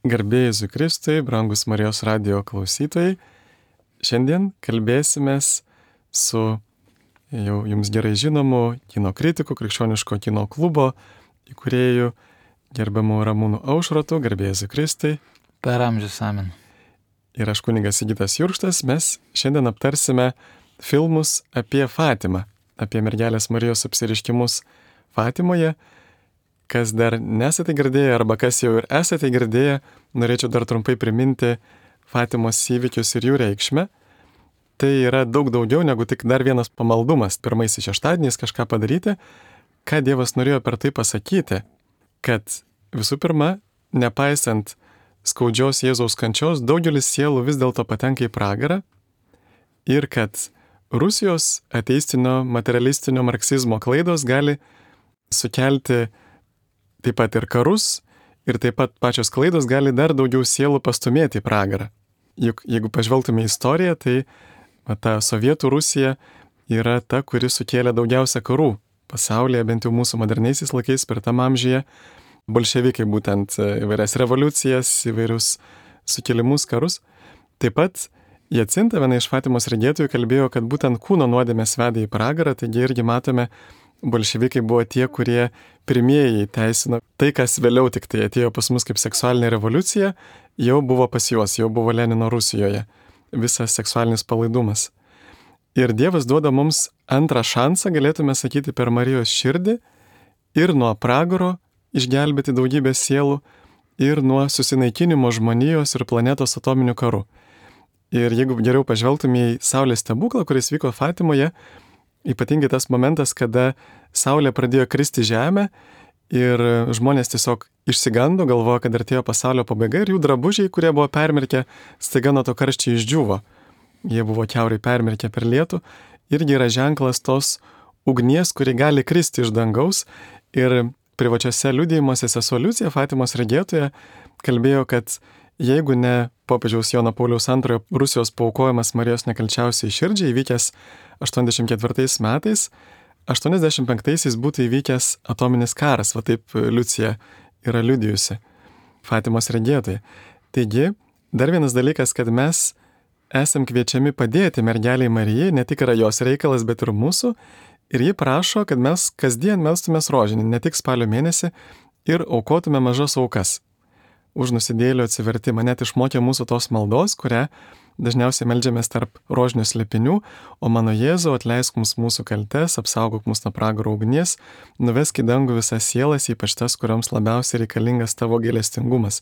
Garbė Jėzui Kristui, brangus Marijos radijo klausytojai. Šiandien kalbėsimės su jau jums gerai žinomu kino kritiku, krikščioniško kino klubo įkūrėju, gerbiamu Ramūnu Aušrotu. Garbė Jėzui Kristui. Per amžius amen. Ir aš kunigas Sigitas Jurkštas. Mes šiandien aptarsime filmus apie Fatimą, apie mergelės Marijos apsireiškimus Fatimoje. Kas dar nesate girdėję arba kas jau ir esate girdėję, norėčiau dar trumpai priminti Fatimos įvykius ir jų reikšmę. Tai yra daug daugiau negu tik dar vienas pamaldumas, pirmaisiais šeštadieniais kažką padaryti. Ką Dievas norėjo per tai pasakyti? Kad visų pirma, nepaisant skaudžios Jėzaus kančios, daugelis sielų vis dėlto patenka į pragarą ir kad Rusijos ateistinio, materialistinio marksizmo klaidos gali sukelti taip pat ir karus, ir taip pat pačios klaidos gali dar daugiau sielų pastumėti į pragarą. Juk jeigu pažvelgtume į istoriją, tai ta sovietų Rusija yra ta, kuri sukėlė daugiausia karų pasaulyje, bent jau mūsų moderniaisiais laikais per tam amžiuje. Bolševikai būtent įvairias revoliucijas, įvairius sukėlimus, karus. Taip pat Jacinta, viena iš Fatimos regėtojų, kalbėjo, kad būtent kūno nuodėmės veda į pragarą, taigi irgi matome, bolševikai buvo tie, kurie pirmieji teisino tai, kas vėliau tik tai atėjo pas mus kaip seksualinė revoliucija, jau buvo pas juos, jau buvo Lenino Rusijoje, visas seksualinis palaidumas. Ir Dievas duoda mums antrą šansą, galėtume sakyti, per Marijos širdį ir nuo pragaro išgelbėti daugybę sielų ir nuo susinaikinimo žmonijos ir planetos atominių karų. Ir jeigu geriau pažvelgtume į Saulės stebuklą, kuris vyko Fatimoje, ypatingai tas momentas, kada Saulė pradėjo kristi žemę ir žmonės tiesiog išsigando, galvojo, kad artėjo pasaulio pabaiga ir jų drabužiai, kurie buvo permirkę, staiga nuo to karščiai išdžiūvo. Jie buvo kiaurai permirkę per lietų, irgi yra ženklas tos ugnies, kuri gali kristi iš dangaus. Ir privačiose liudijimuose sesuo Liucija, Fatimos regėtoja, kalbėjo, kad jeigu ne popiežiaus Jono Pauliaus II Rusijos paaukojimas Marijos nekalčiausiai širdžiai įvykęs 84 metais, 85-aisiais būtų įvykęs atominis karas, va taip Liucija yra liudijusi, Fatimos regėtoja. Taigi, dar vienas dalykas, kad mes esam kviečiami padėti mergeliai Marijai, ne tik yra jos reikalas, bet ir mūsų, ir ji prašo, kad mes kasdien melstumės rožinį, ne tik spalio mėnesį, ir aukotume mažas aukas už nusidėjėlio atsivertimą. Net išmokė mūsų tos maldos, kurią dažniausiai meldžiamės tarp rožinių slėpinių, o mano Jėzau, atleisk mums mūsų kaltes, apsaugok mus nuo pragaro ugnies, nuvesk į dangų visas sielas, ypač tas, kurioms labiausiai reikalingas tavo gailestingumas.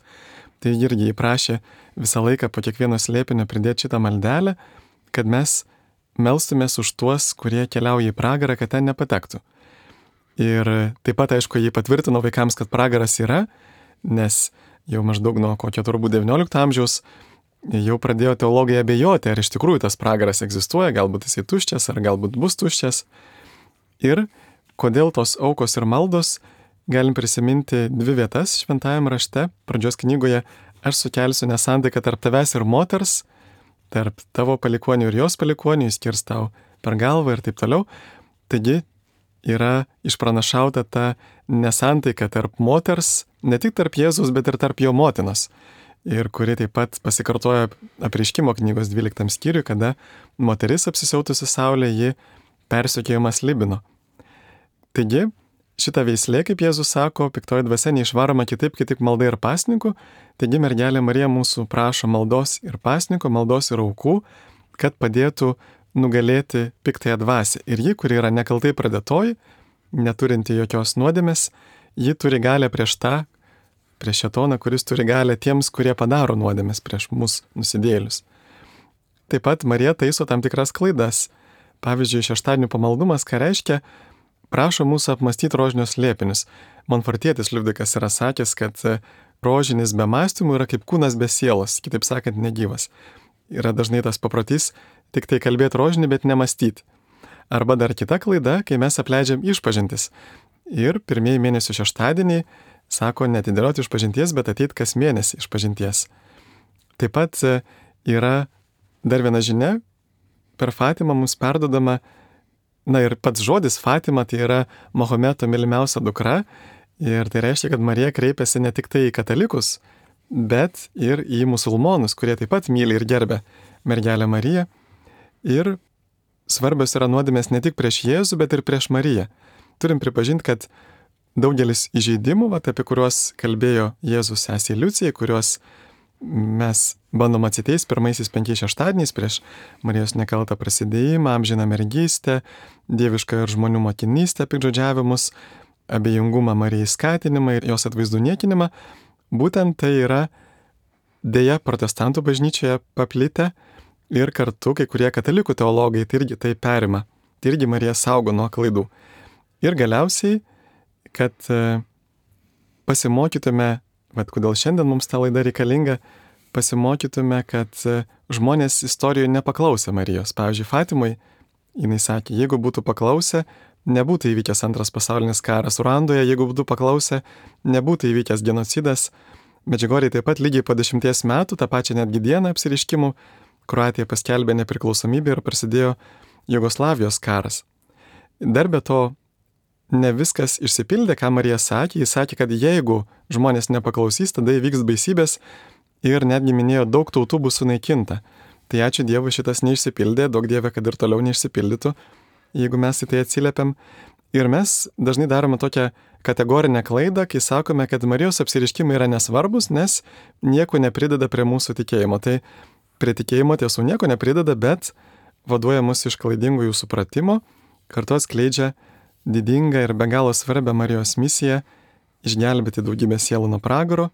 Tai irgi įprašė visą laiką po kiekvieno slėpinio pridėti šitą maldelę, kad mes melstumės už tuos, kurie keliauja į pragarą, kad ten nepatektų. Ir taip pat, aišku, jį patvirtino vaikams, kad pragaras yra, nes jau maždaug nuo kokio turbūt 19 amžiaus jau pradėjo teologai abejoti, ar iš tikrųjų tas pragaras egzistuoja, galbūt jisai tuščias, ar galbūt bus tuščias. Ir kodėl tos aukos ir maldos, galim prisiminti dvi vietas šventajame rašte. Pradžios knygoje aš sukelsiu nesantaiką tarp tavęs ir moters, tarp tavo palikonių ir jos palikonių, jis kirs tau per galvą ir taip toliau. Taigi yra išpranašauta ta nesantaika tarp moters, ne tik tarp Jėzus, bet ir tarp jo motinos. Ir kuri taip pat pasikartoja Apreiškimo knygos 12 skyriui, kada moteris apsisiautusi saulė, ji persekiojamas Libino. Taigi, šita veislė, kaip Jėzus sako, piktoji dvasia neišvaroma kitaip, kaip tik malda ir pasninku. Taigi mergelė Marija mūsų prašo maldos ir pasniko, maldos ir aukų, kad padėtų nugalėti piktąją dvasią. Ir ji, kuri yra nekaltai pradėtoji, neturinti jokios nuodėmės, ji turi galę prieš šėtoną, kuris turi galę tiems, kurie padaro nuodėmės prieš mus nusidėjėlius. Taip pat Marija taiso tam tikras klaidas. Pavyzdžiui, šeštadienių pamaldumas, ką reiškia, prašo mūsų apmastyti rožinius slėpinius. Monfortietis Liudvikas yra sakęs, kad rožinis be mąstymų yra kaip kūnas be sielos, kitaip sakant, negyvas. Yra dažnai tas paprotys tik tai kalbėti rožinį, bet nemastyti. Arba dar kita klaida, kai mes apleidžiam išpažintis. Ir pirmieji mėnesio šeštadieniai sako netidėlioti išpažinties, bet ateit kas mėnesį išpažinties. Taip pat yra dar viena žinia, per Fatimą mums perdodama, ir pats žodis Fatima tai yra Mahometo mylimiausia dukra, ir tai reiškia, kad Marija kreipiasi ne tik tai į katalikus, bet ir į musulmonus, kurie taip pat myli ir gerbia mergelę Mariją. Ir svarbios yra nuodėmės ne tik prieš Jėzų, bet ir prieš Mariją. Turim pripažinti, kad daugelis įžeidimų, apie kuriuos kalbėjo Jėzus sesei Liucijai, kuriuos mes bandom atsiteisti pirmaisiais 5 šeštadieniais prieš Marijos nekaltą prasidėjimą, amžiną mergystę, dievišką ir žmonių motinystę, piktžodžiavimus, abejingumą Marijai skatinimą ir jos atvaizdų niekinimą, būtent tai yra dėja protestantų bažnyčioje paplitę ir kartu kai kurie katalikų teologai tai irgi tai perima, tai irgi Mariją saugo nuo klaidų. Ir galiausiai, kad pasimokytume, kodėl šiandien mums ta laida reikalinga, pasimokytume, kad žmonės istorijoje nepaklausė Marijos. Pavyzdžiui, Fatimai, jinai sakė, jeigu būtų paklausę, nebūtų įvykęs antras pasaulinis karas Ruandoje, jeigu būtų paklausę, nebūtų įvykęs genocidas. Medžiugorjėje taip pat lygiai po 10 metų, tą pačią netgi dieną apsiriškimų, Kroatija paskelbė nepriklausomybę ir prasidėjo Jugoslavijos karas. Dar be to, ne viskas išsipildė, ką Marija sakė. Jis sakė, kad jeigu žmonės nepaklausys, tada įvyks baisybės ir netgi minėjo, daug tautų bus sunaikinta. Tai ačiū Dievui, šitas neišsipildė, daug Dieve, kad ir toliau neišsipildytų, jeigu mes į tai atsiliepiam. Ir mes dažnai darome tokią kategorinę klaidą, kai sakome, kad Marijos apsiriškimai yra nesvarbus, nes nieko neprideda prie mūsų tikėjimo. Tai prie tikėjimo tiesų nieko neprideda, bet vaduoja mus iš klaidingų jų supratimo, kartu atskleidžia didingą ir be galo svarbią Marijos misiją išgelbėti daugybę sielų nuo pragaro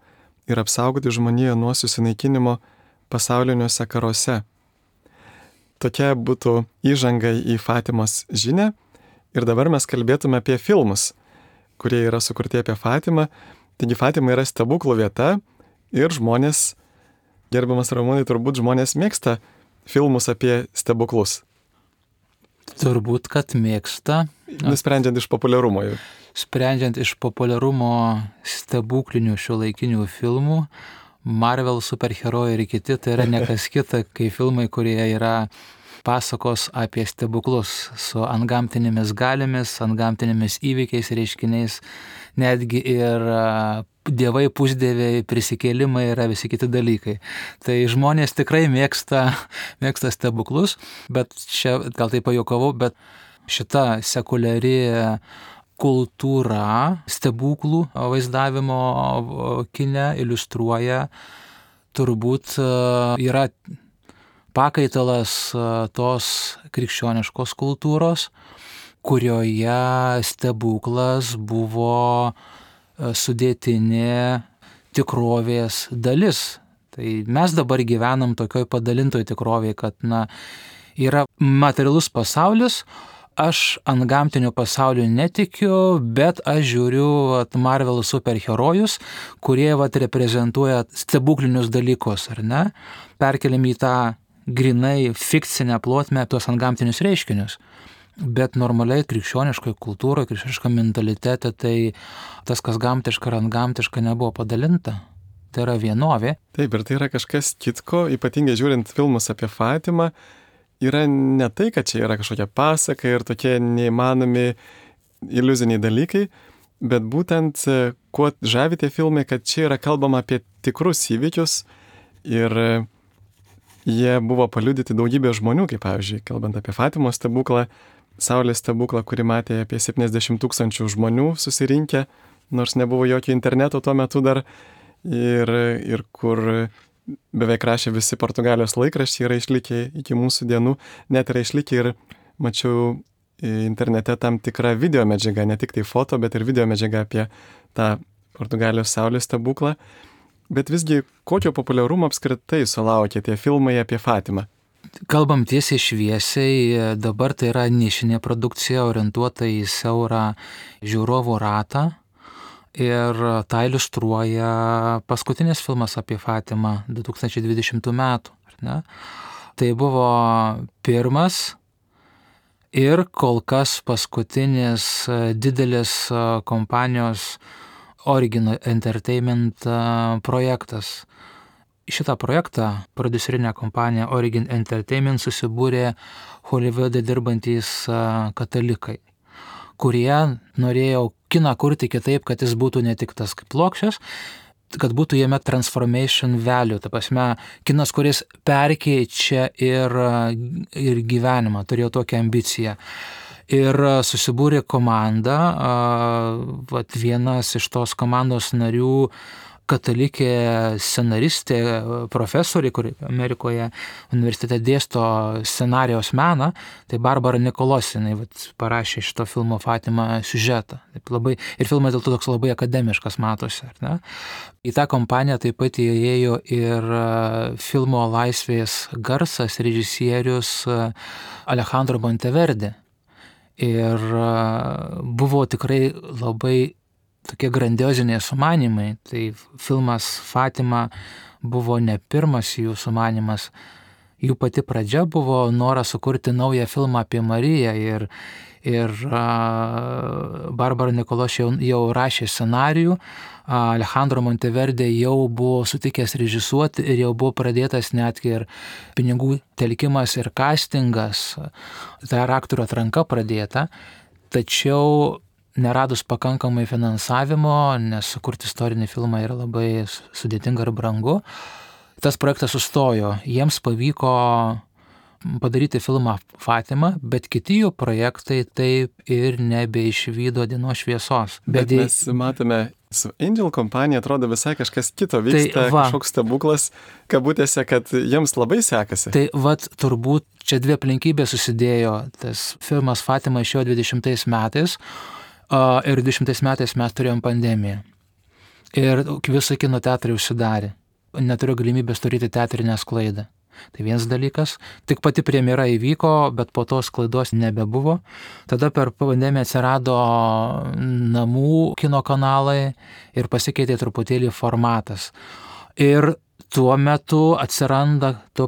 ir apsaugoti žmoniją nuo susinaikinimo pasauliniuose karuose. Tokia būtų įžanga į Fatimos žinią. Ir dabar mes kalbėtume apie filmus, kurie yra sukurti apie Fatimą. Taigi Fatima yra stebuklų vieta ir žmonės, gerbiamas Ramūnai, turbūt žmonės mėgsta filmus apie stebuklus. Turbūt, kad mėgsta. Nusprendžiant iš populiarumo jau. Sprendžiant iš populiarumo stebuklinių šiuolaikinių filmų, Marvel superherojai ir kiti, tai yra ne kas kita, kai filmai, kurie yra pasakos apie stebuklus su antgamtinėmis galėmis, antgamtinėmis įvykiais, reiškiniais, netgi ir dievai, pusdieviai, prisikėlimai yra visi kiti dalykai. Tai žmonės tikrai mėgsta stebuklus, bet čia gal tai pajuokavau, bet šita sekuliari kultūra stebuklų vaizdavimo kine iliustruoja, turbūt yra pakaitalas tos krikščioniškos kultūros, kurioje stebuklas buvo sudėtinė tikrovės dalis. Tai mes dabar gyvenam tokioj padalintoj tikrovėje, kad yra materialus pasaulis, aš antgamtiniu pasauliu netikiu, bet aš žiūriu Marvel superherojus, kurie reprezentuoja stebuklinius dalykus, ar ne? Perkeliam į tą grinai fikcinę plotmę tuos antgamtinius reiškinius. Bet normaliai krikščioniškoje kultūroje, krikščioniškame mentalitete, tai tas, kas gamtiška ir antgamtiška, nebuvo padalinta. Tai yra vienovė. Taip, ir tai yra kažkas kitko, ypatingai žiūrint filmus apie Fatimą, yra ne tai, kad čia yra kažkokia pasaka ir tokie neįmanomi iliuziniai dalykai, bet būtent kuo žavi tie filmai, kad čia yra kalbama apie tikrus įvykius ir jie buvo paliudyti daugybė žmonių, kaip pavyzdžiui, kalbant apie Fatimos stebuklą, Saulės stebuklą, kurį matė apie 70 000 žmonių susirinkę, nors nebuvo jokio interneto tuo metu dar, ir kur beveik rašė visi Portugalijos laikraščiai, yra išlikę iki mūsų dienų, net yra išlikę ir mačiau internete tam tikrą video medžiagą, ne tik tai foto, bet ir video medžiagą apie tą Portugalijos Saulės stebuklą. Bet visgi, kokio populiarumo apskritai sulaukė tie filmai apie Fatimą? Kalbam tiesiai šviesiai, dabar tai yra nišinė produkcija orientuota į siaurą žiūrovų ratą ir tą iliustruoja paskutinis filmas apie Fatimą 2020 metų. Ar ne? Tai buvo pirmas ir kol kas paskutinis didelis kompanijos Origin Entertainment projektas. Šitą projektą prodiuserinė kompanija Origin Entertainment susibūrė Holivude dirbantys katalikai, kurie norėjo kiną kurti kitaip, kad jis būtų ne tik tas kaip plokščias, kad būtų jame transformation value, ta prasme, kinas, kuris perkeičia ir gyvenimą, turėjau tokią ambiciją. Ir susibūrė komanda, vienas iš tos komandos narių, katalikė scenaristė, profesorė, kuri Amerikoje universitete dėsto scenarijaus meną, tai Barbara Nichols, jinai parašė šito filmo Fatima siužetą. Ir filmas dėl to toks labai akademiškas matosi. Ar ne? Į tą kompaniją taip pat įėjo ir filmo Laisvės garsas režisierius Alejandro Monteverde. Ir buvo tikrai labai tokie grandioziniai sumanimai. Tai filmas Fatima buvo ne pirmas jų sumanimas. Jų pati pradžia buvo noras sukurti naują filmą apie Mariją ir Barbara Nichols jau rašė scenarijų, Alejandro Monteverde jau buvo sutikęs režisuoti ir jau buvo pradėtas netgi ir pinigų telkimas ir castingas, tai aktorių atranka pradėta, tačiau neradus pakankamai finansavimo, nes sukurti istorinį filmą yra labai sudėtinga ir brangu, tas projektas sustojo. Jiems pavyko padaryti filmą Fatima, bet kiti jų projektai taip ir nebeišvydo dienos šviesos. Bet mes matome, su Angel kompanija atrodo visai kažkas kito vyksta, kažkoks stebuklas, kabutėse, kad jiems labai sekasi. Tai turbūt čia dvi aplinkybės susidėjo. Tas filmas Fatima išėjo 20 metais, ir 20 metais mes turėjom pandemiją. Ir visi kino teatrai užsidarė. Neturiu galimybės turėti teatrinę sklaidą. Tai vienas dalykas. Tik pati premjera įvyko, bet po to sklaidos nebebuvo. Tada per pandemiją atsirado namų kino kanalai ir pasikeitė truputėlį formatas. Ir tuo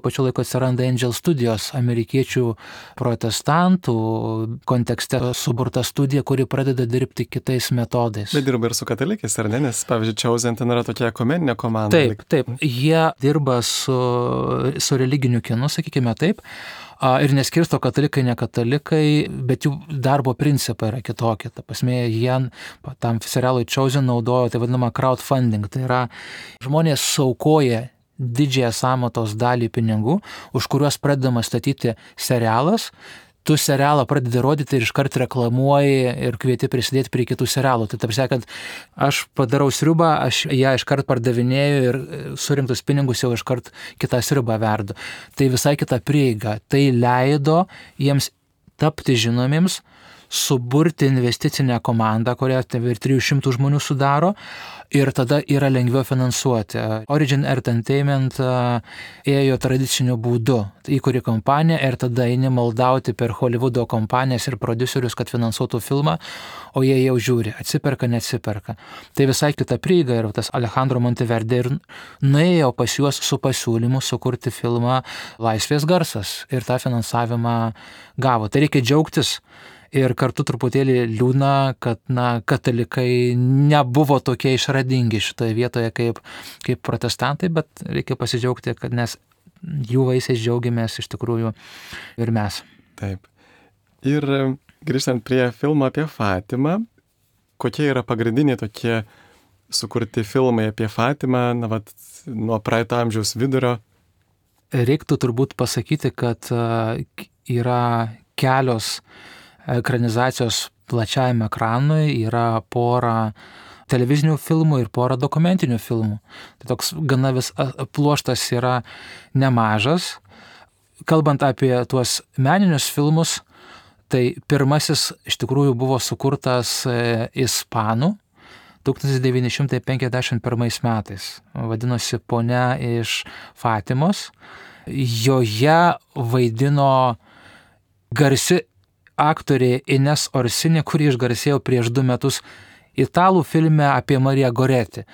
pačiu laiku atsiranda Angel Studios, amerikiečių protestantų kontekste suburta studija, kuri pradeda dirbti kitais metodais. Bet dirba ir su katalikais, ar ne? Nes, pavyzdžiui, Chosen ten yra tokia ekumeninė komanda. Taip. Jie dirba su religiniu kinu, sakykime taip. Ir neskirsto katalikai, ne katalikai, bet jų darbo principai yra kitokie. Ta prasme, jie tam serialui Chosen naudojo tai vadinamą crowdfunding. Tai yra žmonės suaukoja didžiąją sąmatos dalį pinigų, už kuriuos pradedama statyti serialas. Tu serialą pradedi rodyti ir iškart reklamuoji ir kvieti prisidėti prie kitų serialų. Tai tarsi, kad aš padarau sriubą, aš ją iškart pardavinėju ir surinktus pinigus jau iškart kitą sriubą verdu. Tai visai kita prieiga. Tai leido jiems tapti žinomiems, suburti investicinę komandą, kurią ir 300 žmonių sudaro, ir tada yra lengviau finansuoti. Origin Entertainment ėjo tradiciniu būdu. Įkuri kompaniją ir tada eini maldauti per Hollywoodo kompanijas ir prodiuserius, kad finansuotų filmą, o jie jau žiūri, atsiperka, neatsiperka. Tai visai kita prieiga ir tas Alejandro Monteverde ir nuėjo pas juos su pasiūlymu sukurti filmą Laisvės garsas ir tą finansavimą gavo. Tai reikia džiaugtis. Ir kartu truputėlį liūdna, kad katalikai nebuvo tokie išradingi šitoje vietoje kaip protestantai, bet reikia pasidžiaugti, kad nes jų vaisiais džiaugiamės iš tikrųjų ir mes. Taip. Ir grįžtant prie filmo apie Fatimą, kokie yra pagrindiniai tokie sukurti filmai apie Fatimą, nuo praeito amžiaus vidurio? Reiktų turbūt pasakyti, kad yra kelios ekranizacijos plačiajame ekranui, yra pora televizinių filmų ir pora dokumentinių filmų. Tai toks gana pluoštas yra nemažas. Kalbant apie tuos meninius filmus, tai pirmasis iš tikrųjų buvo sukurtas ispanų 1951 metais. Vadinosi Ponia iš Fatimos. Joje vaidino garsi aktorė Ines Orsini, kuri išgarsėjo prieš 2 metus italų filme apie Mariją Goretti.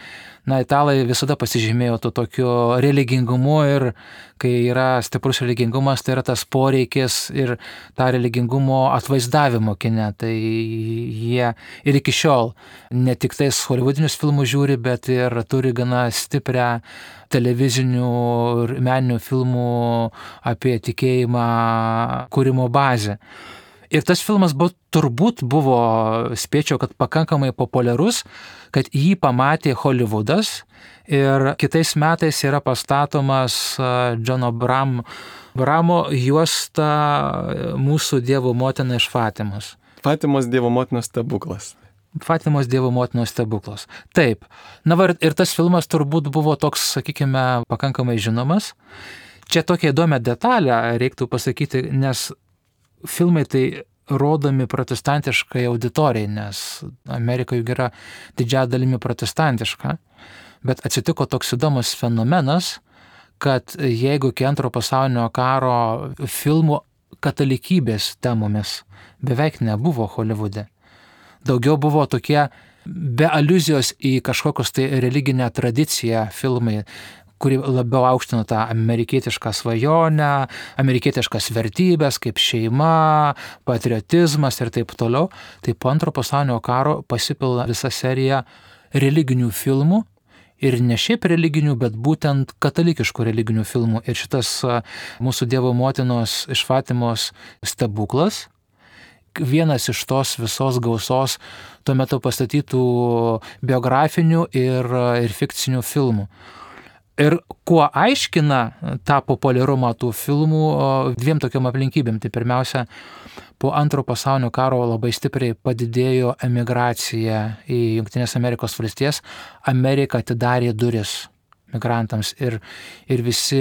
Italai visada pasižymėjo to tokiu religingumu ir kai yra stiprus religingumas, tai yra tas poreikis ir tą religingumo atvaizdavimo kine. Tai jie ir iki šiol ne tik tais hollywoodinius filmus žiūri, bet ir turi gana stiprią televizinių ir meninių filmų apie tikėjimą kūrimo bazę. Ir tas filmas turbūt buvo, spėčiau, kad pakankamai populiarus, kad jį pamatė Hollywoodas ir kitais metais yra pastatomas Johno Bramo juosta Mūsų Dievo motina iš Fatimos. Fatimos Dievo motinos stebuklas. Fatimos Dievo motinos stebuklas. Taip. Na ir tas filmas turbūt buvo toks, sakykime, pakankamai žinomas. Čia tokia įdomią detalę reiktų pasakyti, nes filmai tai rodomi protestantiškai auditorijai, nes Amerika juk yra didžiąja dalimi protestantiška. Bet atsitiko toks įdomus fenomenas, kad jeigu iki Antro pasaulinio karo filmų katalikybės temomis beveik nebuvo Holivude, daugiau buvo tokie be aliuzijos į kažkokius tai religinę tradiciją filmai, kuri labiau aukštino tą amerikietišką svajonę, amerikietiškas vertybės kaip šeima, patriotizmas ir taip toliau. Tai po Antro pasaulinio karo pasipila visa serija religinių filmų ir ne šiaip religinių, bet būtent katalikiškų religinių filmų. Ir šitas Mūsų Dievo motinos iš Fatimos stebuklas, vienas iš tos visos gausos tuo metu pastatytų biografinių ir fikcinių filmų. Ir kuo aiškina tą populiarumą tų filmų dviem tokiam aplinkybėm. Tai pirmiausia, po Antro pasaulinio karo labai stipriai padidėjo emigracija į Jungtines Amerikos valstijas. Amerika atidarė duris migrantams ir visi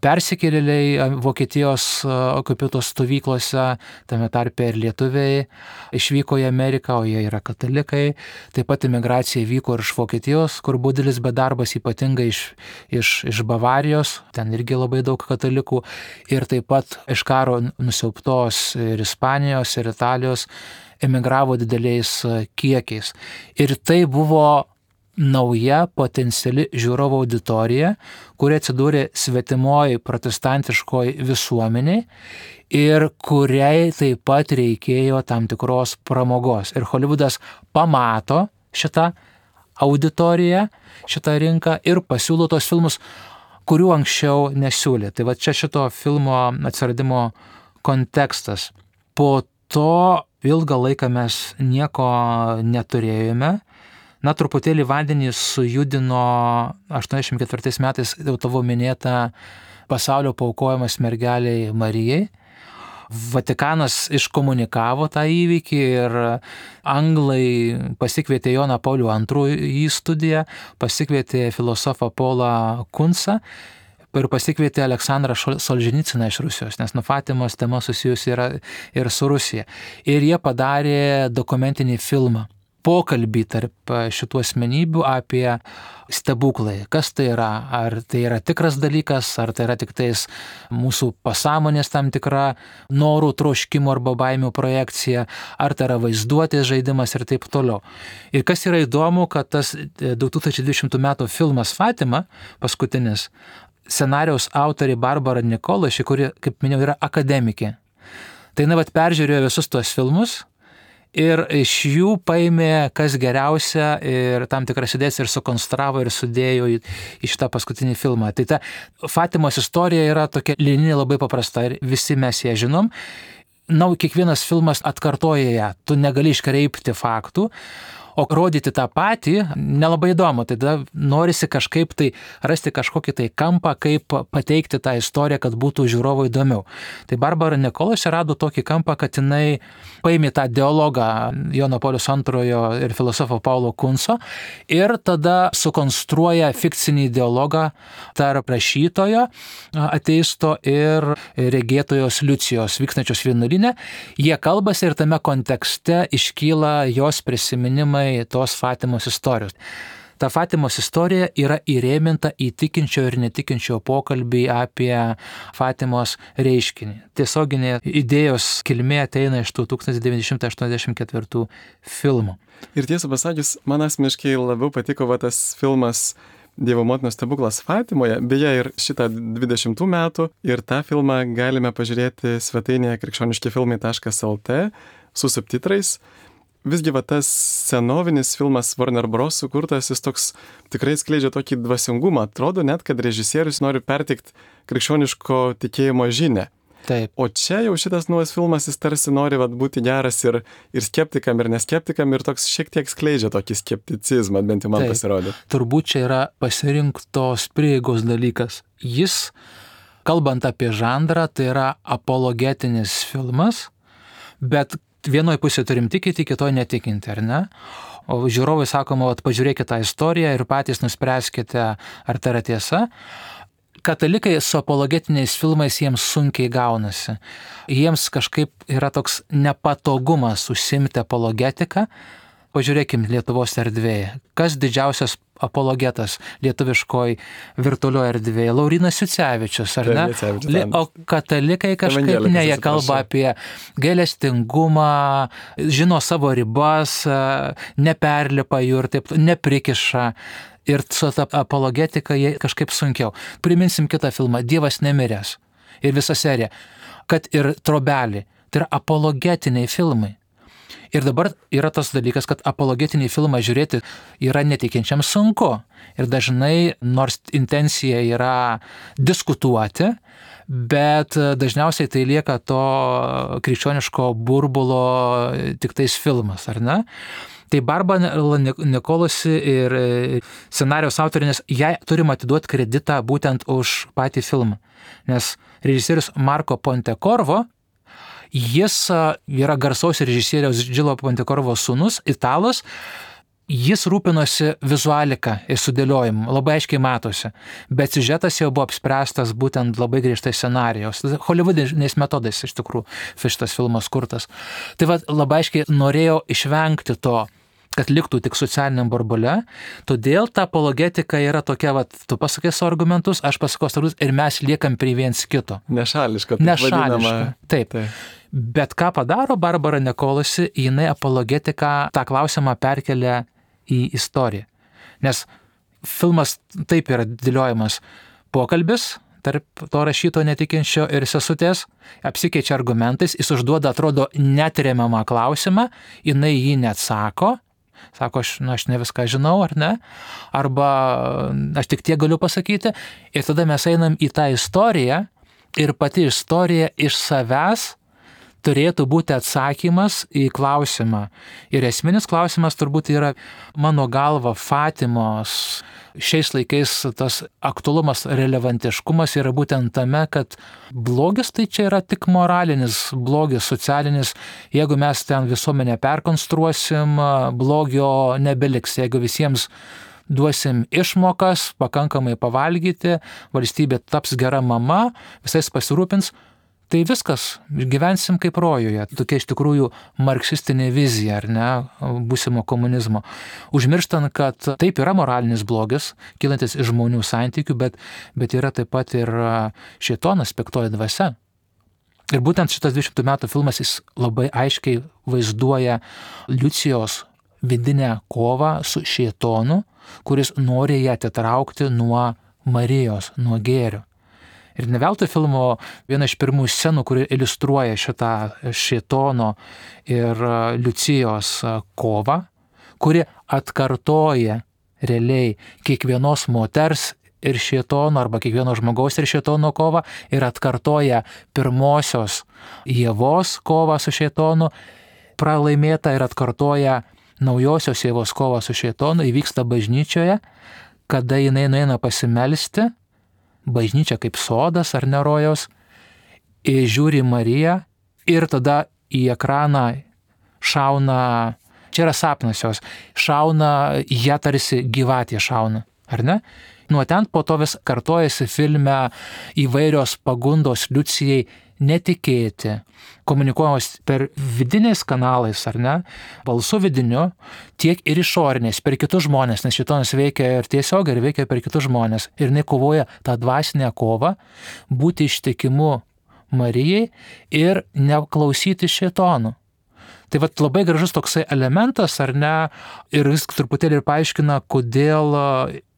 persikėlėliai Vokietijos okupuotos stovyklose, tame tarpe ir lietuviai, išvyko į Ameriką, o jie yra katalikai. Taip pat imigracija vyko ir iš Vokietijos, kur buvo didelis bedarbas, ypatingai iš Bavarijos, ten irgi labai daug katalikų, ir taip pat iš karo nusiaubtos ir Ispanijos, ir Italijos emigravo dideliais kiekiais. Ir tai buvo nauja potenciali žiūrovo auditorija, kuri atsidūrė svetimoj protestantiškoj visuomeniai ir kuriai taip pat reikėjo tam tikros pramogos. Ir Hollywoodas pamato šitą auditoriją, šitą rinką ir pasiūlo tos filmus, kurių anksčiau nesiūlė. Tai va čia šito filmo atsiradimo kontekstas. Po to ilgą laiką mes nieko neturėjome. Na, truputėlį vandenį sujudino 84 metais jau tavo minėta pasaulio paaukojimas mergeliai Marijai. Vatikanas iškomunikavo tą įvykį ir anglai pasikvietė Joną Paulių II į studiją, pasikvietė filosofą Paulą Kunsą ir pasikvietė Aleksandrą Solženiciną iš Rusijos, nes nuo Fatimos tema susijusi yra ir su Rusija. Ir jie padarė dokumentinį filmą. Pokalbį tarp šitų asmenybių apie stebuklai. Kas tai yra? Ar tai yra tikras dalykas, ar tai yra tik tais mūsų pasąmonės tam tikra norų, troškimų arba baimių projekcija, ar tai yra vaizduotės žaidimas ir taip toliau. Ir kas yra įdomu, kad tas 2020 metų filmas Fatima, paskutinis, scenarijaus autorė Barbara Nikolaši, kuri, kaip minėjau, yra akademikė. Tai peržiūrėjo visus tuos filmus ir iš jų paėmė kas geriausia ir tam tikras idėjas ir sukonstravo ir sudėjo į šitą paskutinį filmą. Tai ta Fatimos istorija yra tokia linija labai paprasta ir visi mes ją žinom. Na, kiekvienas filmas atkartoja ją, tu negali iškreipti faktų, o rodyti tą patį nelabai įdomu. Tada norisi kažkaip tai rasti kažkokį tai kampą, kaip pateikti tą istoriją, kad būtų žiūrovui įdomiau. Tai Barbara Nikolaši rado tokį kampą, kad jinai paėmė tą dialogą Jono Pauliaus II ir filosofo Paulo Kunso ir tada sukonstruoja fikcinį dialogą tarp rašytojo, ateisto ir regėtojos Liucijos vykstančios vienuolyne. Jie kalbasi ir tame kontekste iškyla jos prisiminimai tos Fatimos istorijos. Ta Fatimos istorija yra įrėminta į tikinčio ir netikinčio pokalbį apie Fatimos reiškinį. Tiesioginė idėjos kilmė ateina iš tų 1984 filmų. Ir tiesą pasakius, man asmeniškai labiau patiko tas filmas Dievo motinos stebuklas Fatimoje, beje ir šitą 20 metų, ir tą filmą galime pažiūrėti svetainėje krikščioniškifilmai.lt su subtitrais. Visgi tas senovinis filmas Warner Bros. Sukurtas, jis toks tikrai skleidžia tokį dvasingumą. Atrodo net, kad režisierius nori perteikti krikščioniško tikėjimo žinią. Taip. O čia jau šitas naujas filmas, jis tarsi nori būti geras ir skeptikam, ir neskeptikam, ir toks šiek tiek skleidžia tokį skepticizmą, bent jau man pasirodė. Turbūt čia yra pasirinktos prieigos dalykas. Jis, kalbant apie žanrą, tai yra apologetinis filmas, bet vienoje pusėje turim tikėti, kitoje netikinti, ar ne? O žiūrovai sakoma, pažiūrėkite tą istoriją ir patys nuspręskite, ar tai yra tiesa. Katalikai su apologetiniais filmais jiems sunkiai gaunasi. Jiems kažkaip yra toks nepatogumas užsiimti apologetiką. Pažiūrėkim Lietuvos erdvėje. Kas didžiausias apologetas lietuviškoj virtualioje erdvėje? Laurynas Jucevičius, ar ne? O katalikai kažkaip ne, jie kalba apie gailestingumą, žino savo ribas, neperlipa jų ir taip, neprikiša. Ir su ta apologetika jie kažkaip sunkiau. Priminsim kitą filmą, Dievas nemiręs. Ir visa serija. Kad ir Trobelį. Tai yra apologetiniai filmai. Ir dabar yra tas dalykas, kad apologetinį filmą žiūrėti yra netikinčiam sunku. Ir dažnai, nors intencija yra diskutuoti, bet dažniausiai tai lieka to krikščioniško burbulo tiktais filmas, ar ne? Tai Barbara Nicolosi ir scenarijos autorė, nes jai turim atiduoti kreditą būtent už patį filmą. Nes režisierius Marco Pontecorvo, jis yra garsaus režisieriaus Gillo Pontecorvo sūnus, italas, jis rūpinosi vizualika ir sudėliojimu, labai aiškiai matosi, bet siužetas jau buvo apspręstas būtent labai griežtai scenarijos. Hollywoodiniais metodais iš tikrųjų šitas filmas kurtas. Tai labai aiškiai norėjau išvengti to, kad liktų tik socialiniam burbule, todėl ta apologetika yra tokia, tu pasakė savo argumentus, aš pasakau argumentus ir mes liekam prie viens kito. Nešališka. Taip. Bet ką padaro Barbara Nicolosi, jinai apologetiką tą klausimą perkelia į istoriją. Nes filmas taip yra dėliojamas pokalbis tarp to rašyto netikinčio ir sesutės, apsikeičia argumentais, jis užduoda, atrodo, netremiamą klausimą, jinai jį neatsako, sako, aš ne viską žinau, ar ne, arba aš tik tiek galiu pasakyti, ir tada mes einam į tą istoriją ir pati istorija iš savęs turėtų būti atsakymas į klausimą. Ir esminis klausimas turbūt yra, mano galva, Fatimos šiais laikais tas aktualumas, relevantiškumas yra būtent tame, kad blogis tai čia yra tik moralinis blogis, socialinis. Jeigu mes ten visuomenę perkonstruosim, blogio nebeliks. Jeigu visiems duosim išmokas, pakankamai pavalgyti, valstybė taps gera mama, visais pasirūpins, tai viskas, gyvensim kaip rojuje. Tokia iš tikrųjų marksistinė vizija, ar ne, būsimo komunizmo. Užmirštant, kad taip yra moralinis blogis, kylantis iš žmonių santykių, bet yra taip pat ir šėtonas, piktoji dvasia. Ir būtent šitas 200 metų filmas, jis labai aiškiai vaizduoja Liucijos vidinę kovą su šėtonu, kuris nori ją atitraukti nuo Marijos, nuo gėrio. Ir ne veltui filmo viena iš pirmų scenų, kuri iliustruoja šitą šėtono ir Liucijos kovą, kuri atkartoja realiai kiekvienos moters ir šėtono arba kiekvieno žmogaus ir šėtono kovą ir atkartoja pirmosios Ievos kovą su šėtonu, pralaimėta ir atkartoja naujosios Ievos kovą su šėtonu, įvyksta bažnyčioje, kada jinai nueina pasimelsti, bažnyčia kaip sodas ar nerojaus, ir žiūri Mariją ir tada į ekraną šauna, čia yra sapnas jos, šauna, ją tarsi gyvatė šauna, ar ne? Nuo ten po to vis kartojasi filme įvairios pagundos Liucijai netikėti, komunikuojamos per vidiniais kanalais, ar ne, balsu vidiniu, tiek ir išoriniais, per kitus žmonės, nes šėtonas veikia ir tiesiog, ir veikia per kitus žmonės. Ir jinai kovoja tą dvasinę kovą, būti ištikimu Marijai ir neklausyti šėtonų. Tai labai gražus toksai elementas, ar ne, ir jis truputėlį ir paaiškina, kodėl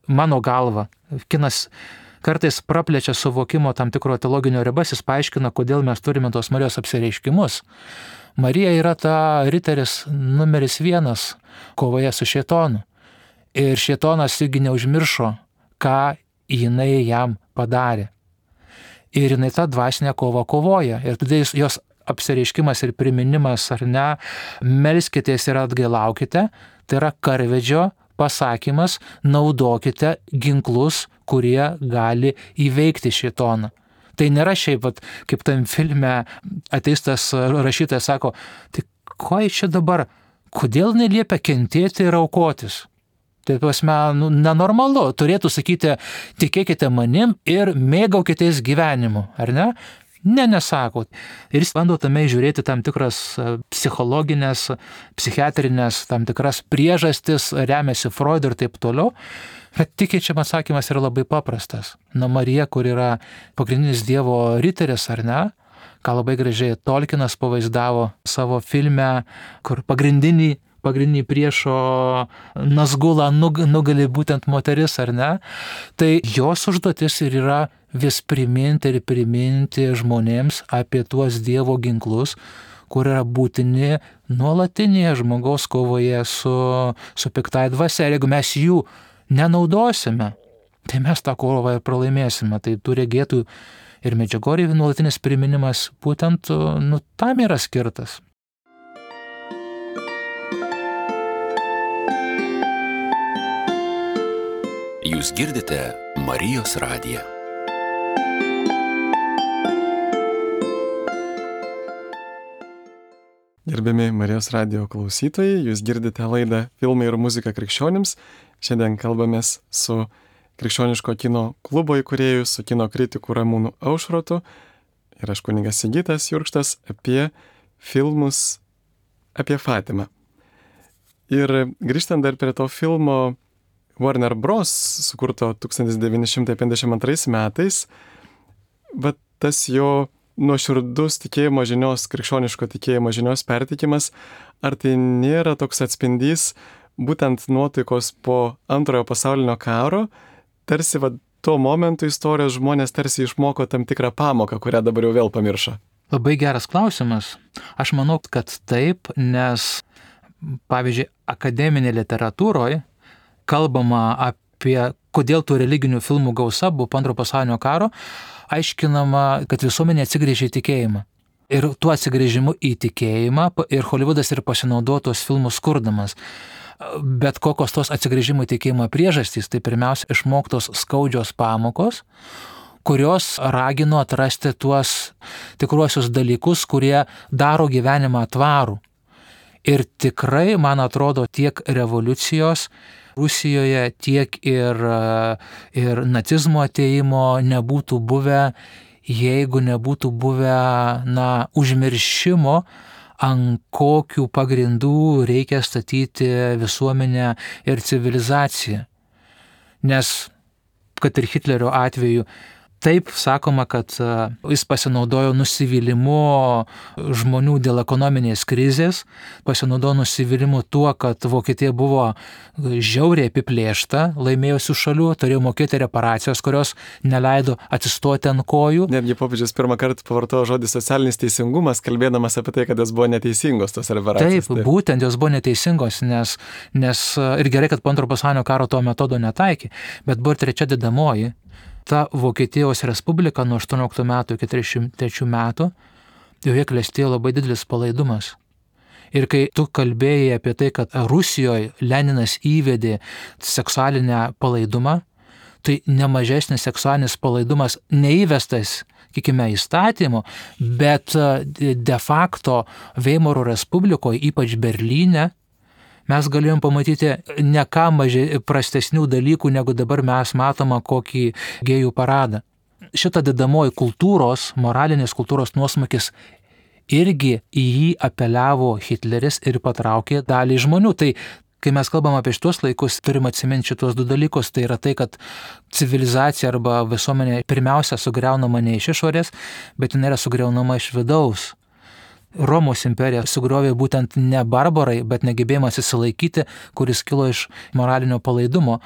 mano galva kinas kartais praplečia suvokimo tam tikro teologinio ribas, jis paaiškina, kodėl mes turime tos Marijos apsireiškimus. Marija yra ta riteris numeris 1 kovoje su šėtonu. Ir šėtonas irgi neužmiršo, ką jinai jam padarė. ir jinai tą dvasinę kovą kovoja. Ir tada jos apsireiškimas ir priminimas, ar ne, melskitės ir atgailaukite, tai yra karvedžio pasakymas, naudokite ginklus, kurie gali įveikti šėtoną. Tai nėra šiaip, kaip tam filme ateistas rašytojas sako, tai ko čia dabar, kodėl neliepia kentėti ir aukotis? Tai prasme, nenormalu, turėtų sakyti, tikėkite manim ir mėgaukitės gyvenimu, ar ne? Nesako. Ir jis bando tame žiūrėti tam tikras psichologinės, psichiatrinės, tam tikras priežastis, remiasi Freudu ir taip toliau. Bet tikėčiam atsakymas yra labai paprastas. Marija, kur yra pagrindinis Dievo riteris, ar ne, ką labai gražiai Tolkienas pavaizdavo savo filme, kur pagrindinį priešo Nazgulą nugali būtent moteris, ar ne, tai jos užduotis ir yra vis priminti žmonėms apie tuos Dievo ginklus, kur yra būtini nuolatinėje žmogaus kovoje su piktai dvasia. Ir jeigu mes jų nenaudosime, tai mes tą kovą ir pralaimėsime. Tai tų regėtų ir Medžiugorjėje nuolatinis priminimas būtent tam yra skirtas. Jūs girdite Marijos radiją. Gerbiami Marijos radijo klausytojai, jūs girdite laidą Filmai ir muzika krikščionims. Šiandien kalbamės su Krikščioniško kino klubo įkūrėju, su kino kritiku Ramūnu Aušrotu ir aš kunigas Sigitas Jurkštas apie filmus apie Fatimą. Ir grįžtant dar prie to filmo Warner Bros. Sukurto 1952 metais, bet tas jo nuoširdus tikėjimo žinios, krikščioniško tikėjimo žinios perteikimas, ar tai nėra toks atspindys būtent nuotaikos po Antrojo pasaulinio karo, tarsi tuo momentu istorijos žmonės tarsi išmoko tam tikrą pamoką, kurią dabar jau vėl pamiršo? Labai geras klausimas. Aš manau, kad taip, nes, pavyzdžiui, akademinė literatūroje kalbama apie, kodėl tų religinių filmų gausa buvo po Antrojo pasaulinio karo, aiškinama, kad visuomenė atsigrėžė į tikėjimą. Ir tuo atsigrėžimu į tikėjimą ir Hollywoodas ir pasinaudojo tos filmus kurdamas. Bet kokios tos atsigrėžimo į tikėjimą priežastys, tai pirmiausia išmoktos skaudžios pamokos, kurios ragino atrasti tuos tikruosius dalykus, kurie daro gyvenimą tvarų. Ir tikrai, man atrodo, tiek revoliucijos Rusijoje, tiek ir nacizmo atėjimo nebūtų buvę, jeigu nebūtų buvę, užmiršimo, ant kokių pagrindų reikia statyti visuomenę ir civilizaciją. Nes, kad ir Hitlerio atveju, taip sakoma, kad jis pasinaudojo nusivylimu žmonių dėl ekonominės krizės, pasinaudojo nusivylimu tuo, kad Vokietija buvo žiauriai apiplėšta, laimėjusių šalių, turėjo mokėti reparacijas, kurios neleido atsistoti ant kojų. Netgi popiežius pirmą kartą pavartojo žodį socialinis teisingumas, kalbėdamas apie tai, kad jos buvo neteisingos, tos reparacijos. Taip, būtent jos buvo neteisingos, nes ir gerai, kad po Antrojo pasaulinio karo to metodo netaikė, bet buvo ir trečia dedamoji. Ta Vokietijos Respublika nuo 18 metų iki 33 metų, joje klestėjo labai didelis palaidumas. Ir kai tu kalbėjai apie tai, kad Rusijoje Leninas įvedė seksualinę palaidumą, tai nemažesnis seksualinis palaidumas neįvestas, sakykime, įstatymu, bet de facto Veimaro Respublikoje, ypač Berlyne, mes galėjom pamatyti ne ką prastesnių dalykų, negu dabar mes matome kokį gėjų paradą. Šita dedamoji kultūros, moralinės kultūros nuosmukis irgi į jį apeliavo Hitleris ir patraukė dalį žmonių. Tai, kai mes kalbam apie šitos laikus, turim atsiminti šitos du dalykus. Tai yra tai, kad civilizacija arba visuomenė pirmiausia sugriaunama ne iš išorės, bet jinai yra sugriaunama iš vidaus. Romos imperija sugriovė būtent ne barbarai, bet negebėjimas įsilaikyti, kuris kilo iš moralinio palaidumo.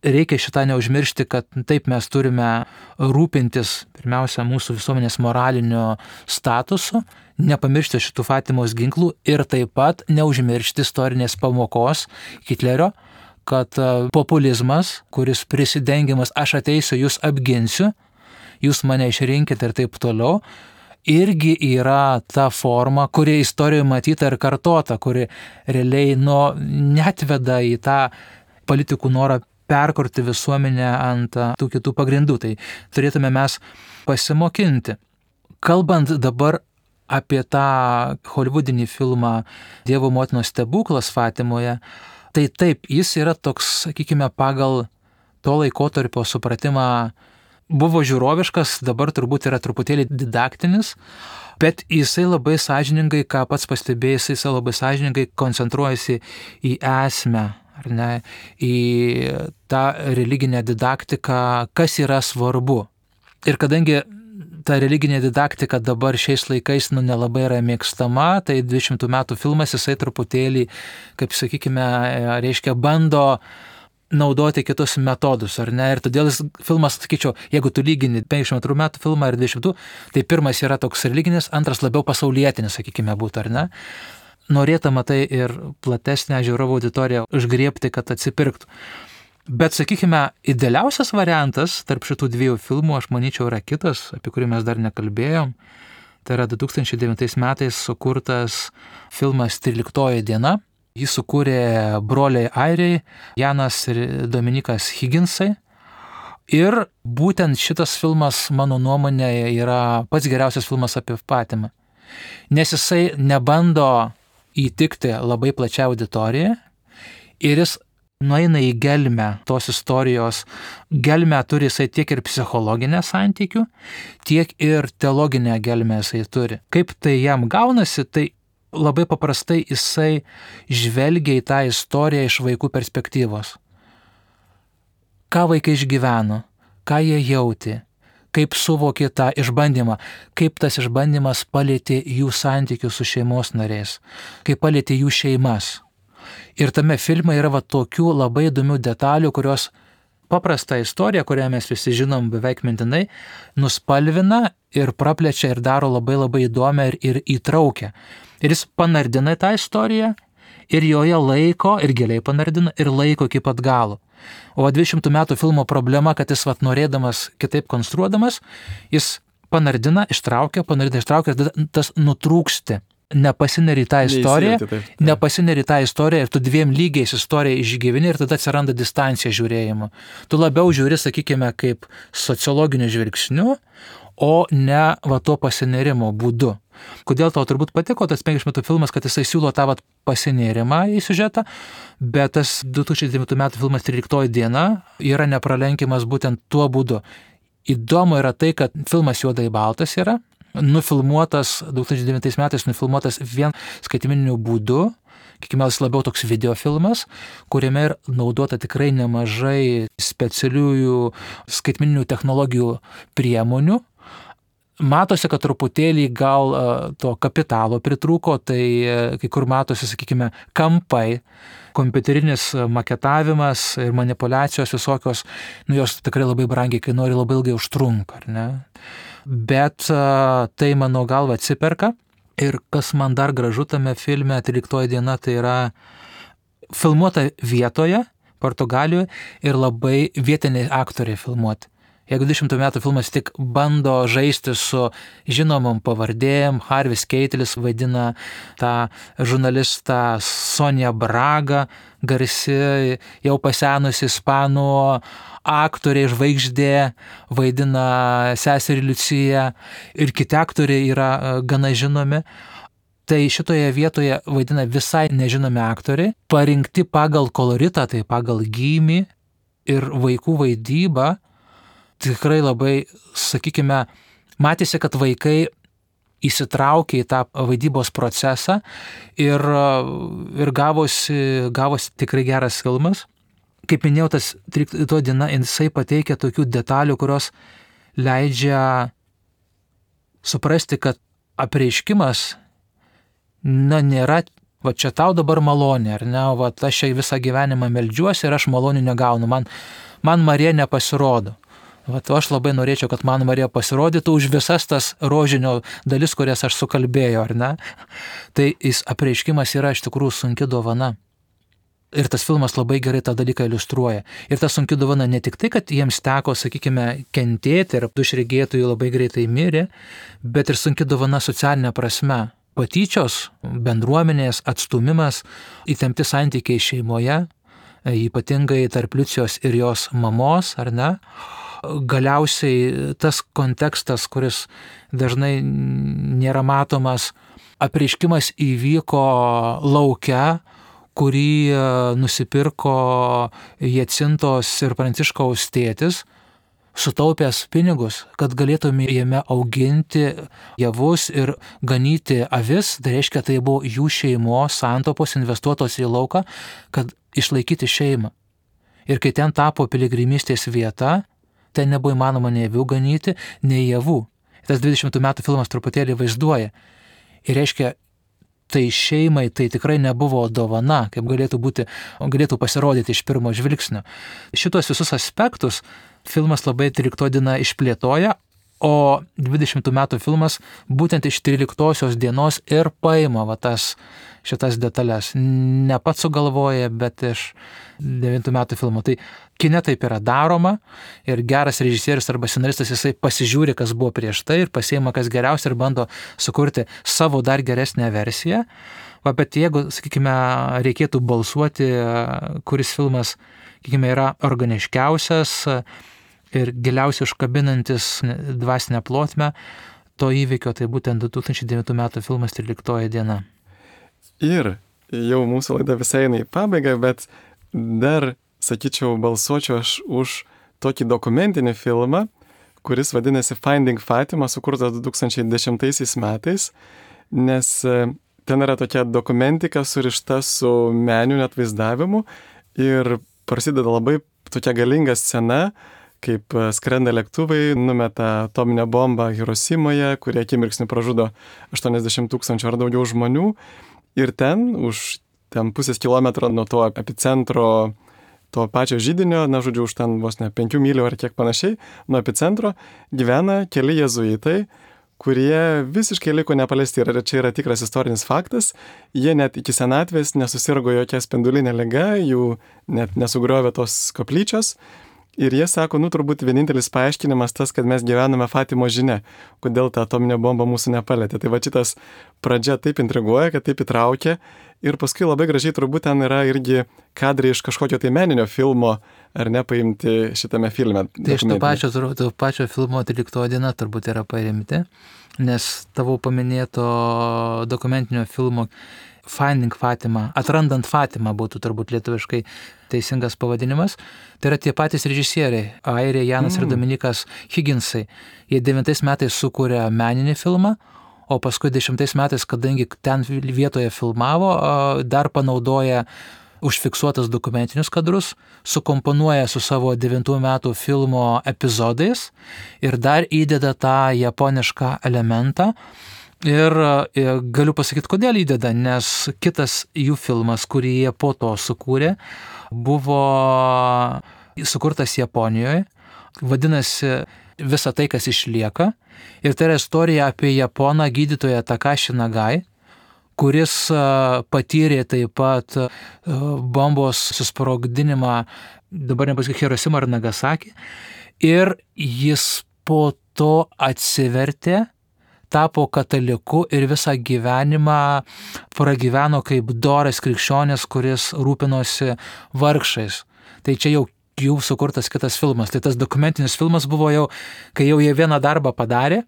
Reikia šitą neužmiršti, kad taip mes turime rūpintis pirmiausia mūsų visuomenės moralinio statusu, nepamiršti šitų Fatimos ginklų ir taip pat neužmiršti istorinės pamokos Hitlerio, kad populizmas, kuris prisidengiamas aš ateisiu, jūs apginsiu, jūs mane išrinkite ir taip toliau, irgi yra ta forma, kuri istorijoje matyta ir kartota, kuri realiai netveda į tą politikų norą perkurti visuomenę ant tų kitų pagrindų. Tai turėtume mes pasimokinti. Kalbant dabar apie tą holivudinį filmą Dievo motinos stebuklas Fatimoje, tai taip, jis yra toks, sakykime, pagal to laikotarpio supratimą buvo žiūroviškas, dabar turbūt yra truputėlį didaktinis, bet jisai labai sąžiningai, ką pats pastebėjai, jisai labai sąžiningai koncentruojasi į esmę, ar ne, į tą religinę didaktiką, kas yra svarbu. Ir kadangi ta religinė didaktika dabar šiais laikais nelabai yra mėgstama, tai 20 metų filmas jisai truputėlį, kaip sakykime, reiškia, bando naudoti kitus metodus, ar ne? Ir todėl filmas, sakyčiau, jeigu tu lygini 52 metų filmą ir 20, tai pirmas yra toks religinis, antras labiau pasaulietinis, sakykime, būtų, ar ne? Norėtama tai ir platesnę žiūrovų auditoriją užgriebti, kad atsipirktų. Bet, sakykime, idealiausias variantas tarp šitų dviejų filmų, aš manyčiau, yra kitas, apie kurį mes dar nekalbėjom. Tai yra 2009 metais sukurtas filmas 13 diena. Jį sukūrė broliai airiai, Janas ir Dominikas Higginsai. Ir būtent šitas filmas, mano nuomonė, yra pats geriausias filmas apie Fatimą. Nes jisai nebando įtikti labai plačią auditoriją ir jis nueina į gelmę tos istorijos. Gelmę turi jisai tiek ir psichologinę santykių, tiek ir teologinę gelmę jisai turi. Kaip tai jam gaunasi, tai labai paprastai jisai žvelgia į tą istoriją iš vaikų perspektyvos. Ką vaikai išgyveno, ką jie jautė, kaip suvokė tą išbandymą, kaip tas išbandymas palėtė jų santykius su šeimos nariais, kaip palėtė jų šeimas. Ir tame filme yra tokių labai įdomių detalių, kurios paprastą istoriją, kurią mes visi žinom beveik mintinai, nuspalvina ir praplečia ir daro labai labai įdomią ir įtraukia. Ir jis panardina tą istoriją ir joje laiko, ir giliai panardina, ir laiko iki pat galo. O 20 metų filmo problema, kad jis norėdamas kitaip konstruodamas, jis panardina, ištraukia ir tas nutrūksti. Nepasineri tą istoriją, nepasineri tą istoriją ir tu dviem lygiais istoriją išgyveni ir tada atsiranda distancija žiūrėjimo. Tu labiau žiūri, sakykime, kaip sociologiniu žvilgsniu, o ne tuo pasinerimo būdu. Kodėl tau turbūt patiko tas 50 metų filmas, kad jisai siūlo tą pasinerimą į siužetą, bet tas 2009 metų filmas 13 diena yra nepralenkiamas būtent tuo būdu. Įdomu yra tai, kad filmas juodai baltas yra, nufilmuotas 2009 metais, nufilmuotas vien skaitmeniniu būdu, kiekime labiau toks videofilmas, kuriame ir naudota tikrai nemažai specialiųjų skaitmeninių technologijų priemonių. Matosi, kad truputėlį gal to kapitalo pritrūko, tai kai kur matosi, sakykime, kampai, kompiuterinis maketavimas ir manipulacijos visokios, jos tikrai labai brangiai kainuoja ir labai ilgai užtrunka, ar ne? Bet tai mano galva atsiperka. Ir kas man dar gražu tame filme 13 diena, tai yra filmuota vietoje, Portugalijoje, ir labai vietiniai aktoriai filmuoti. Jeigu 20 metų filmas tik bando žaisti su žinomom pavardėm, Harvis Keitelis vaidina tą žurnalistą Sonia Braga, garsi, jau pasenusi ispanų aktoriai, žvaigždė, vaidina seserį Liuciją ir kiti aktoriai yra gana žinomi. Tai šitoje vietoje vaidina visai nežinomi aktoriai, parinkti pagal koloritą, tai pagal gymį ir vaikų vaidybą. Tikrai labai, sakykime, matėsi, kad vaikai įsitraukė į tą vaidybos procesą ir gavosi tikrai geras filmas. Kaip minėjau, tas 13 diena, jisai pateikia tokių detalių, kurios leidžia suprasti, kad apreiškimas nėra, čia tau dabar malonė, ar ne, aš čia visą gyvenimą meldžiuosi ir aš malonių negaunu, man Marija nepasirodo. Aš labai norėčiau, kad man Marija pasirodytų už visas tas rožinio dalis, kurias aš sukalbėjau, ar ne? Tai apreiškimas yra iš tikrųjų sunki dovana. Ir tas filmas labai gerai tą dalyką iliustruoja. Ir ta sunki dovana ne tik tai, kad jiems teko, sakykime, kentėti ir du iš regėtojų labai greitai mirė, bet ir sunki dovana socialinė prasme. Patyčios, bendruomenės, atstumimas, įtempti santykiai šeimoje, ypatingai tarp Liucijos ir jos mamos, ar ne? Galiausiai tas kontekstas, kuris dažnai nėra matomas, apreiškimas įvyko lauke, kurį nusipirko Jacintos ir Pranciškaus tėtis, sutaupęs pinigus, kad galėtume jame auginti javus ir ganyti avis, tai reiškia, tai buvo jų šeimos santaupos investuotos į lauką, kad išlaikyti šeimą. Ir kai ten tapo piligrimystės vieta, ten nebuvo įmanoma nei avių ganyti, nei javų. Tas 20 metų filmas truputėlį vaizduoja. Ir reiškia, tai šeimai tai tikrai nebuvo dovana, kaip galėtų pasirodyti iš pirmo žvilgsnio. Šitos visus aspektus filmas labai 13 diena išplėtoja, o 20 metų filmas būtent iš 13 dienos ir paima šitas detalės. Ne pats sugalvoja, bet iš 9 metų filmo. Tai kine taip yra daroma ir geras režisierius arba scenaristas jisai pasižiūri, kas buvo prieš tai ir pasiima kas geriausia ir bando sukurti savo dar geresnę versiją. Bet jeigu, sakykime, reikėtų balsuoti, kuris filmas, sakykime, yra organiškiausias ir giliausiai užkabinantis dvasinę plotmę to įvykio, tai būtent 2009 metų filmas 13 diena. Ir jau mūsų laida visai eina į pabaigą, bet dar, sakyčiau, balsuočiau aš už tokį dokumentinį filmą, kuris vadinasi Finding Fatima, sukurtas 2010 metais, nes ten yra tokia dokumentika surišta su meniniu atvaizdavimu ir prasideda labai tokia galinga scena, kaip skrenda lėktuvai, numeta atominę bombą Hirosimoje, kurie akimirksniu pražudo 80 000 ar daugiau žmonių. Ir ten, už pusės kilometro nuo to epicentro, to pačio židinio, už ten vos ne 5 mylių ar kiek panašiai, nuo epicentro gyvena keli jėzuitai, kurie visiškai liko nepaliesti. Ir čia yra tikras istorinis faktas. Jie net iki senatvės nesusirgo jokia spendulinė liga, jų net nesugriovė tos koplyčios. Ir jie sako, turbūt vienintelis paaiškinimas tas, kad mes gyvename Fatimos žinia, kodėl ta atominė bomba mūsų nepalėtė. Tai šitas pradžia taip intriguoja, kad taip įtraukia. Ir paskui labai gražiai turbūt ten yra irgi kadrai iš kažkokio tai meninio filmo, ar ne, paimti šitame filme. Tai iš to pačio filmo 13 diena turbūt yra paimti, nes tavo paminėto dokumentinio filmo Finding Fatima, Atrandant Fatimą būtų turbūt lietuviškai teisingas pavadinimas. Tai yra tie patys režisieriai, airiai Janas ir Dominikas Higginsai. Jie 9 metais sukūrė meninį filmą, o paskui 10 metais, kadangi ten vietoje filmavo, dar panaudoja užfiksuotas dokumentinius kadrus, sukomponuoja su savo 9 metų filmo epizodais ir dar įdeda tą japonišką elementą. Ir galiu pasakyti, kodėl įdeda, nes kitas jų filmas, kurį jie po to sukūrė, buvo sukurtas Japonijoje, vadinasi Visa tai, kas išlieka. Ir tai yra istorija apie japoną gydytoją Takashi Nagai, kuris patyrė taip pat bombos susprogdinimą, dabar nepasakysiu, Hirosimą ar Nagasaki. Ir jis po to atsivertė, tapo kataliku ir visą gyvenimą pragyveno kaip doras krikščionis, kuris rūpinosi vargšais. Tai čia jau sukurtas kitas filmas. Tai tas dokumentinis filmas buvo jau, kai jau jie vieną darbą padarė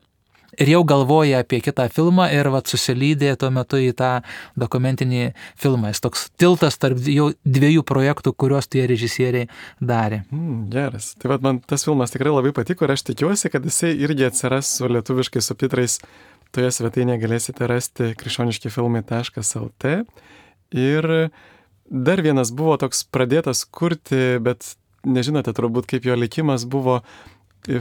ir jau galvoja apie kitą filmą ir susilydė tuo metu į tą dokumentinį filmą. Jis toks tiltas tarp jau 2 projektų, kuriuos tie režisieriai darė. Geras. Tai man tas filmas tikrai labai patiko ir aš tikiuosi, kad jisai irgi atsiras su lietuviškais subtitrais. Toje svetainėje galėsite rasti krikščioniškifilmai.lt. Ir dar vienas buvo toks pradėtas kurti, bet nežinote turbūt, kaip jo likimas buvo.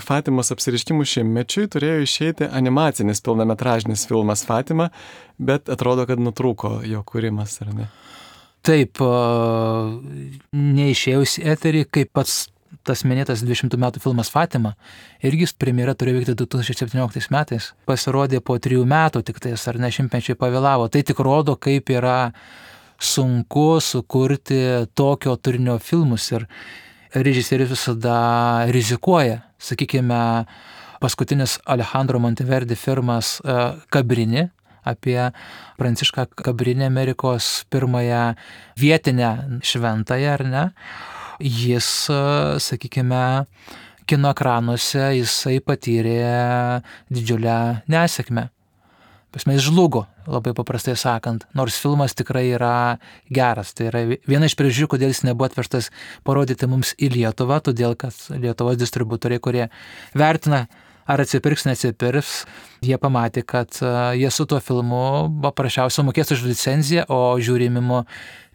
Fatimos apsireiškimų 100-mečiui turėjo išeiti animacinis pilnametražinis filmas Fatima, bet atrodo, kad nutrūko jo kūrimas, ar ne? Taip, neišėjus į eterį, kaip pats tas minėtas 20 metų filmas Fatima, irgi premjera turėjo vykti 2017 metais. Pasirodė po 3 metų tik tais, ar ne, 100-mečiai pavėlavo. Tai tik rodo, kaip yra sunku sukurti tokio turinio filmus ir režisierius visada rizikuoja. Sakykime, paskutinis Alejandro Monteverdi filmas Cabrini apie Prancišką Cabrini, Amerikos pirmąją vietinę šventąją, ar ne? Jis, sakykime, kino ekranuose jisai patyrė didžiulę nesėkmę. Jis žlugo, labai paprastai sakant, nors filmas tikrai yra geras. Tai yra viena iš priežasčių, kodėl jis nebuvo atvežtas parodyti mums į Lietuvą, todėl kad Lietuvos distributoriai, kurie vertina, ar atsipirks, neatsipirks, jie pamatė, kad jie su tuo filmu paprasčiausiai mokės už licenciją, o žiūrimimo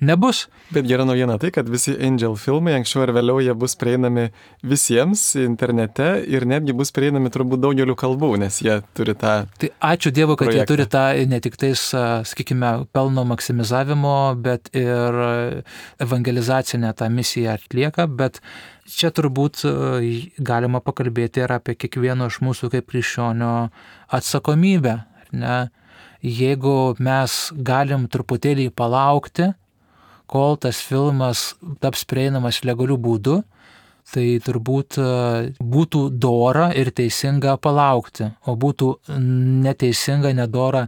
nebus. Bet gera naujiena tai, kad visi Angel filmai anksčiau ar vėliau jie bus prieinami visiems internete ir netgi bus prieinami turbūt daugeliu kalbų, nes jie turi tą Tai ačiū Dievui, kad projektą. jie turi tą ne tik tais, sakykime, pelno maksimizavimo, bet ir evangelizacinę tą misiją atlieka, bet čia turbūt galima pakalbėti ir apie kiekvieno iš mūsų kaip krikščionio atsakomybę. Ne? Jeigu mes galim truputėlį palaukti, kol tas filmas taps prieinamas legalių būdų, tai turbūt būtų dora ir teisinga palaukti, o būtų neteisinga, nedora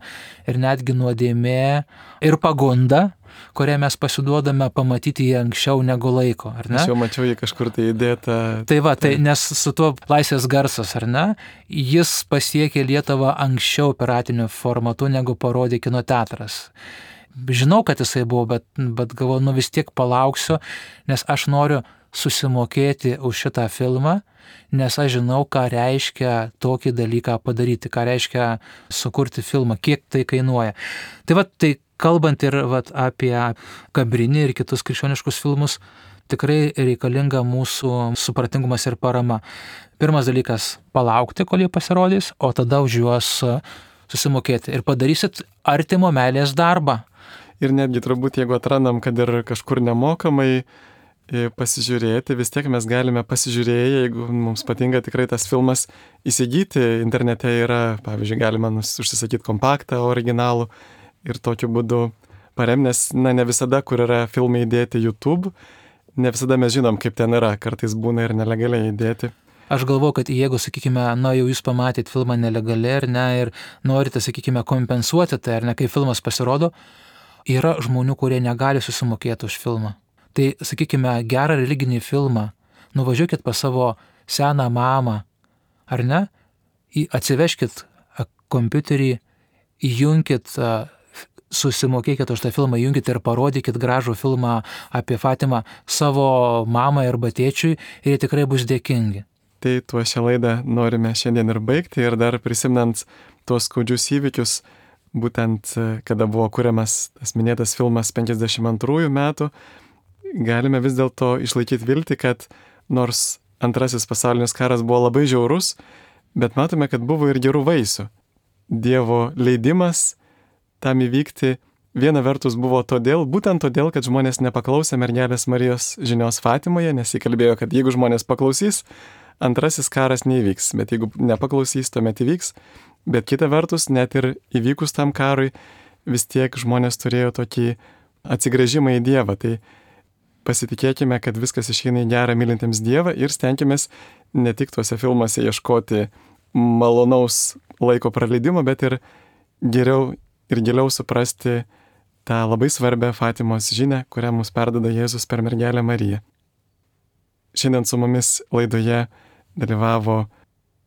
ir netgi nuodėmė ir pagunda, kurią mes pasiduodame pamatyti jį anksčiau negu laiko, ar ne? Aš jau mačiau jį kažkur tai įdėtą. Tai va, tai nes su tuo Laisvės garsas, ar ne, jis pasiekė Lietuvą anksčiau piratiniu formatu, negu parodė kino teatras. Žinau, kad jisai buvo, bet galvoju, vis tiek palauksiu, nes aš noriu susimokėti už šitą filmą, nes aš žinau, ką reiškia tokį dalyką padaryti, ką reiškia sukurti filmą, kiek tai kainuoja. Tai va, tai kalbant ir apie Cabrini ir kitus krikščioniškus filmus, tikrai reikalinga mūsų supratingumas ir parama. Pirmas dalykas - palaukti, kol jie pasirodys, o tada už juos susimokėti. Ir padarysit artimo meilės darbą. Ir netgi turbūt, jeigu atrandam, kad ir kažkur nemokamai pasižiūrėti, vis tiek mes galime pasižiūrėję, jeigu mums patinka tikrai tas filmas, įsigyti. Internete yra, pavyzdžiui, galima užsisakyti kompaktą originalų ir tokiu būdu paremnės, ne visada, kur yra filmai įdėti YouTube, ne visada mes žinom, kaip ten yra, kartais būna ir nelegaliai įdėti. Aš galvoju, kad jeigu, sakykime, jau jūs pamatėt filmą nelegaliai, ar ne, ir norite, sakykime, kompensuoti tai, ar ne, kai filmas pasirodo, yra žmonių, kurie negali susimokėti už filmą. Tai, sakykime, gerą religinį filmą, nuvažiuokit pas savo seną mamą, ar ne, atsiveškit kompiuterį, įjunkit, susimokėkit už tą filmą, įjunkit ir parodykit gražų filmą apie Fatimą savo mamai arba tėčiui ir jie tikrai bus dėkingi. Tai tuo šią laidą norime šiandien ir baigti ir dar prisimnant tuos skaudžius įvykius, būtent kada buvo kuriamas tas minėtas filmas 52 metų, galime vis dėlto išlaikyti viltį, kad nors antrasis pasaulinis karas buvo labai žiaurus, bet matome, kad buvo ir gerų vaisių. Dievo leidimas tam įvykti viena vertus buvo būtent todėl, kad žmonės nepaklausė mergelės Marijos žinios Fatimoje, nes jį kalbėjo, kad jeigu žmonės paklausys, antrasis karas neįvyks, bet jeigu nepaklausys, tuomet įvyks. Bet kita vertus, net ir įvykus tam karui, vis tiek žmonės turėjo tokį atsigręžimą į Dievą. Tai pasitikėkime, kad viskas išeina į gerą mylintiems Dievą ir stenkimės ne tik tuose filmuose ieškoti malonaus laiko praleidimo, bet ir geriau ir giliau suprasti tą labai svarbią Fatimos žinią, kurią mums perduoda Jėzus per mergelę Mariją. Šiandien su mumis laidoje dalyvavo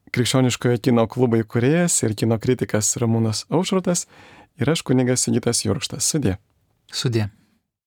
Krikščioniškojo kino klubo įkūrėjas ir kino kritikas Ramūnas Aušrotas ir aš kunigas Sigitas Jurkštas. Sudie. Sudie.